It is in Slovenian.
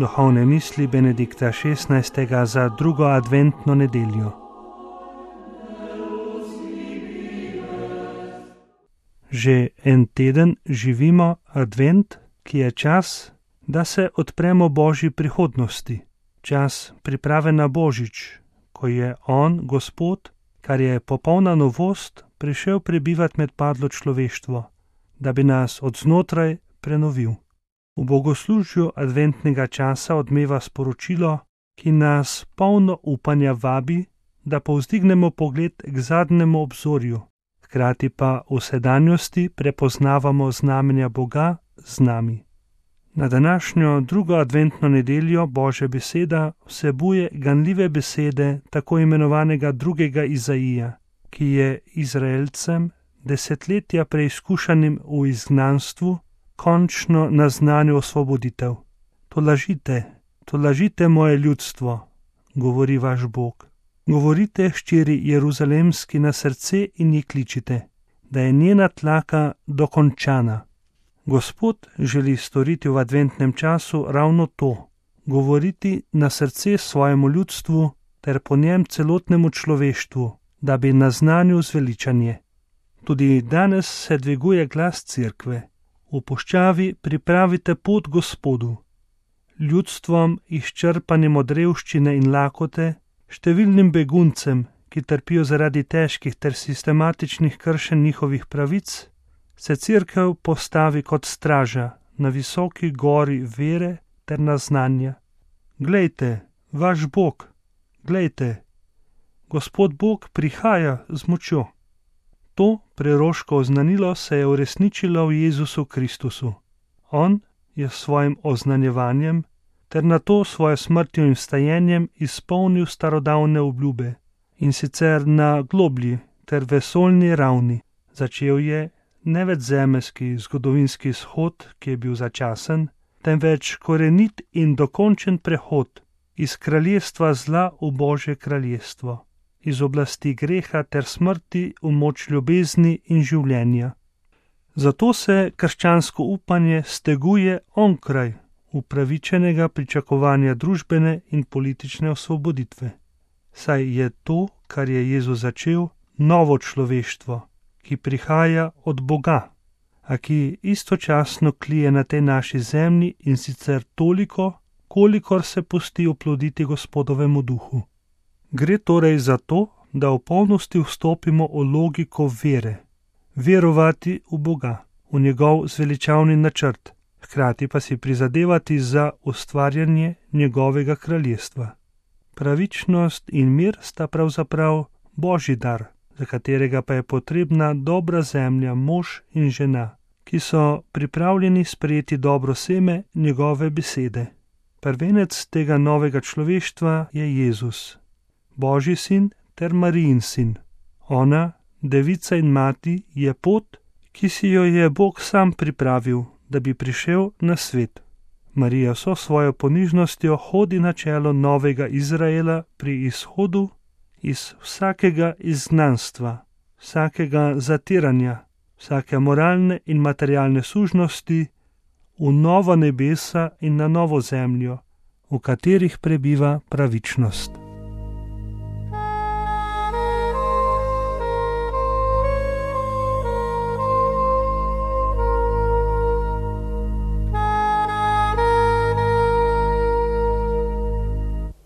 Duhovne misli Benedikta XVI. Za drugo adventno nedeljo. Že en teden živimo advent, ki je čas, da se odpremo Božji prihodnosti, čas priprave na Božič, ko je On, Gospod, kar je popolna novost, prišel prebivati med padlo človeštvo, da bi nas od znotraj prenovil. V bogoslužju adventnega časa odmeva sporočilo, ki nas polno upanja vabi, da povzdignemo pogled k zadnjemu obzorju, hkrati pa v sedanjosti prepoznavamo znamenja Boga z nami. Na današnjo drugo adventno nedeljo Božja beseda vsebuje ganljive besede tako imenovanega drugega Izaija, ki je Izraelcem, desetletja preizkušanim v izgnanstvu, končno naznanil osvoboditev. To lažite moje ljudstvo, govori vaš Bog. Govorite hčeri Jeruzalemski na srce in ji kličite, da je njena tlaka dokončana. Gospod želi storiti v adventnem času ravno to, govoriti na srce svojemu ljudstvu ter po njem celotnemu človeštvu, da bi naznanil zveličanje. Tudi danes se dviguje glas cerkve. V puščavi pripravite pot Gospodu. Ljudstvom izčrpanim od revščine in lakote, številnim beguncem, ki trpijo zaradi težkih ter sistematičnih kršenj njihovih pravic, se cerkev postavi kot straža na visoki gori vere ter naznanja. Glejte, vaš Bog, glejte, Gospod Bog prihaja z močjo. To preroško oznanilo se je uresničilo v Jezusu Kristusu. On je s svojim oznanjevanjem ter nato svojo smrtjo in vstajenjem izpolnil starodavne obljube, in sicer na globlji ter vesoljni ravni. Začel je ne več zemeljski zgodovinski izhod, ki je bil začasen, temveč korenit in dokončen prehod iz kraljestva zla v Božje kraljestvo, iz oblasti greha ter smrti v moč ljubezni in življenja. Zato se krščansko upanje steguje onkraj upravičenega pričakovanja družbene in politične osvoboditve. Saj je to, kar je Jezus začel, novo človeštvo, ki prihaja od Boga, a ki istočasno klije na tej naši zemlji, in sicer toliko, kolikor se pusti oploditi Gospodovemu duhu. Gre torej za to, da v polnosti vstopimo v logiko vere, verovati v Boga, v njegov zveličavni načrt, hkrati pa si prizadevati za ustvarjanje njegovega kraljestva. Pravičnost in mir sta pravzaprav Božji dar, za katerega pa je potrebna dobra zemlja, mož in žena, ki so pripravljeni sprejeti dobro seme njegove besede. Prvenec tega novega človeštva je Jezus, Božji sin ter Marijin sin. Ona, devica in mati, je pot, ki si jo je Bog sam pripravil, da bi prišel na svet. Marija vso svojo ponižnostjo hodi na čelo novega Izraela pri izhodu iz vsakega izgnanstva, vsakega zatiranja, vsake moralne in materialne sužnosti v novo nebesa in na novo zemljo, v katerih prebiva pravičnost.